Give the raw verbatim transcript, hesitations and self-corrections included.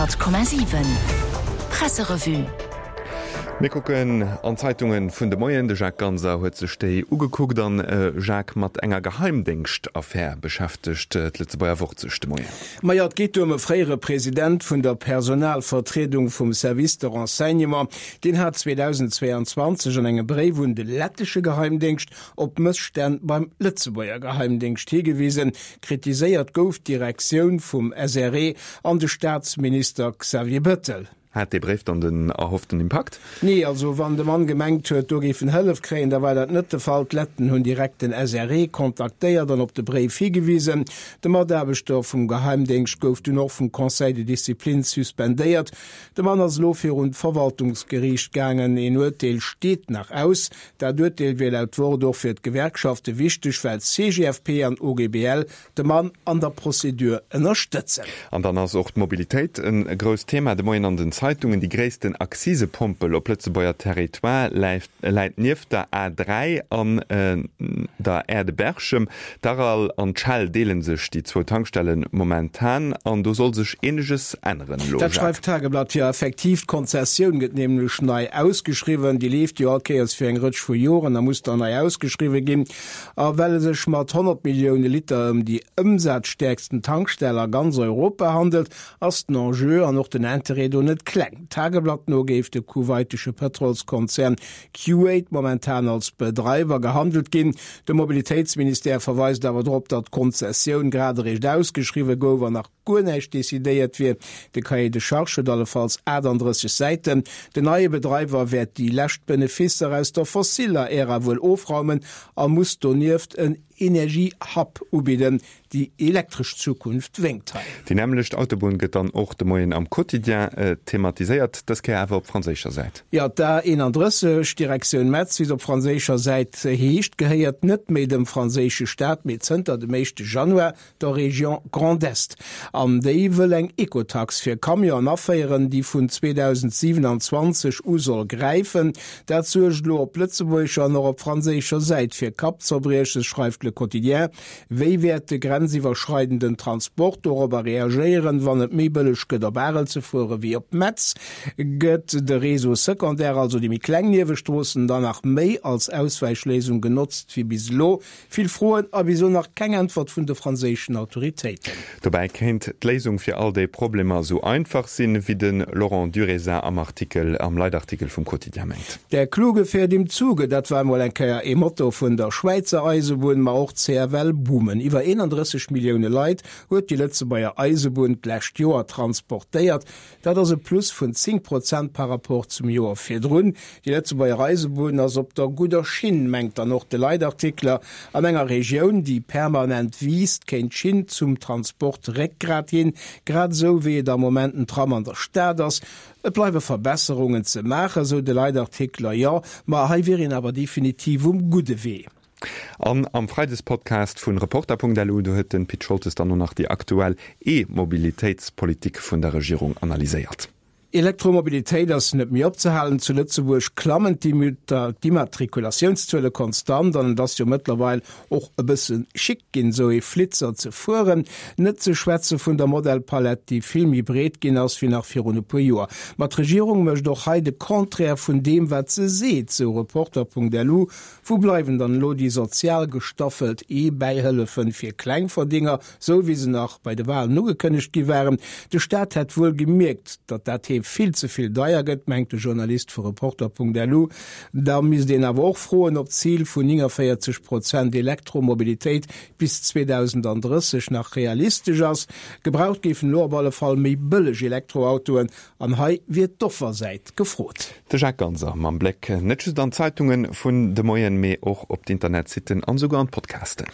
Honnert Komma siwen Presserevue. Mir kucken an d'Zeitungen vun de Moien. De Jacques Ganser huet sech déi ugekuckt an, Jacques, mat enger Geheimdéngschtaffär beschäftegt d'Lëtzebuerger Wort sech de Moien. Majo, et geet do ëm e fréiere President vun der Personalvertriedung vum Service de Renseignement. Deen hat zweedausendzweeanzwanzeg an engem Bréif un de lettesche Geheimdéngscht op Mësstänn beim Lëtzebuerger Geheimdéngscht higewisen. Kritiséiert gouf d'Direktioun vum S R E an de Staatsminister Xavier Bettel. Hat dee Bréif dann den erhofften Impakt? Nee, also wann de Mann gemengt huet, do géif en Hëllef kréien, da war dat net de Fall. D'Letten hunn direkt den S R E kontaktéiert an op de Bréif higewisen. De Mataarbechter vum Geheimdéngscht gouf dunn och vum Conseil de discipline suspendéiert. De Mann ass elo virun d'Verwaltungsgeriicht gaangen. Een Urteel steet nach aus. Dat Urteel wier laut Wort och fir d'Gewerkschafte wichteg, well C G F P an O G B L de Mann an der Prozedur ënnerstëtzen. An dann ass och d'Mobilitéit e grousst Thema de Moien an den Zeitungen. Déi gréissten Akzisepompel op Lëtzebuerger Territoire läit nieft der A dräi an der Aire de Berchem. D'Aral an d'Shell deele sech déi zwou Tankstelle momentan an do soll sech eeneges änneren elo, Dat Jacques. schreift d'Tageblatt. Jo, effektiv, d'Konzessioun gëtt nämlech nei ausgeschriwwen. Déi leeft jo all Kéiers fir eng Rëtsch vu Joren, da muss dann nei ausgeschriwwe ginn. A well et sech mat honnert Millioune Liter ëm déi ëmsazstäerksten Tankstell a ganz Europa handelt, ass den Enjeu an och den Interêt do net kleng. Tageblatt no géif de kuwaitesche Pëtrolskonzern Q eight momentan als Bedreiwer gehandelt ginn. De Mobilitéitsministère verweist awer drop, datt d'Konzessioun grad eréischt ausgeschriwwe gouf an nach guer näischt decidéiert wier. De Cahier de charges huet allefalls achtandrësseg Säiten. Den neie Bedreiwer wäert déi lescht Beneficer aus der fossiller Ära wuel ofraumen a muss donieft en Energie-Hub ubidden. Déi elektresch Zukunft wénkt hei. Déi nämmlecht Autobunn gëtt dann och de Moien am Quotidien thematiséiert, dës Kéier awer op franséischer Säit. Jo, d'A eenandrësseg, Direktioun Metz, wéi se op franséischer Säit heescht, gehéiert net méi dem franséische Staat, mee zënter dem éischte Januar der Région Grand Est. An déi wëll eng Ecotax fir Camionen aféieren, déi vun zweedausendsiewenanzwanzeg u soll gräifen. Dat suergt elo op lëtzebuergescher an och op franséischer Säit fir Kappzerbrieches, schreift Le Quotidien. Wéi wäert de grenziwwerschreidenden Transport dorobber reagéieren, wann et méi bëlleg gëtt op Arel ze fuere wéi op Metz? Gëtt de Réseau secondaire, also déi méi kleng Niewestroossen, dann nach méi als Auswäichléisung genotzt wéi bis elo? Vill Froen a bis elo nach keng Äntwert vun de franséischen Autoritéiten. Dobäi kéint d'Léisung fir all déi Problemer esou einfach sinn, wéi de Laurent Duriezat am Artikel, am Leitartikel vum Quotidien mengt. Der Kluge fährt im Zuge, dat war emol eng Kéier ee Motto vun der Schwäizer Eisebunn, ma och d'C F L boomen. Iwwer eenandrësseg Millioune Leit huet déi Lëtzebuerger Eisebunn d'lescht Joer transportéiert. Dat ass e Plus vun zéng Prozent par rapport zum Joer virdrun. Déi Lëtzebuerger Eisebunn ass op der gudder Schinn, mengt dann och de Leitartikler. An enger Regioun, déi permanent wiisst, kéint d'Schinn zum Transport Réckgrat ginn, grad esou wéi et am Moment den Tram an der Stad ass. Et bleiwe Verbesserungen ze maachen, sou de Leitartikler, jo, ma hei wier een awer definitiv um gudde Wee. An am Freidespodcast vun Reporter Punkt L U, do huet den Pit Scholtes dann och nach déi aktuell E-Mobilitéitspolitik vun der Regierung analyséiert. Elektromobilitéit ass net méi opzehalen. Zu Lëtzebuerg klammen d'Immatrikulatiounszuele konstant an et ass jo mëttlerweil och e bësse chic ginn, esou ee Flitzer ze fueren. Net ze schwätze vun der Modellpalett, déi vill méi breet ginn ass wéi nach virun e puer Joer. Ma d'Regierung mécht och hei de Contraire vun deem, wat se seet, sou Reporter Punkt L U. Wou bleiwen dann elo déi sozial gestaffelt E-Bäihëllefe fir Klengverdénger, sou wéi se nach bei de Walen ugekënnegt gi waren? De Staat hätt wuel gemierkt, datt dat hee vill ze vill deier gëtt, mengt de Journalist vu Reporter Punkt L U. Da misst een awer och froen, ob d'Zil vun nénganvéierzeg Prozent Elektromobilitéit bis zweedausenddrësseg nach realistesch ass. Gebraucht géifen elo op alle Fall méi bëlleg Elektroautoen an hei wier d'Offersäit gefrot. De Jacques Ganser mam Bléck net just an d'Zeitunge vun de Moien, mee och op d'Internetsitten an esouguer an d'Podcasten.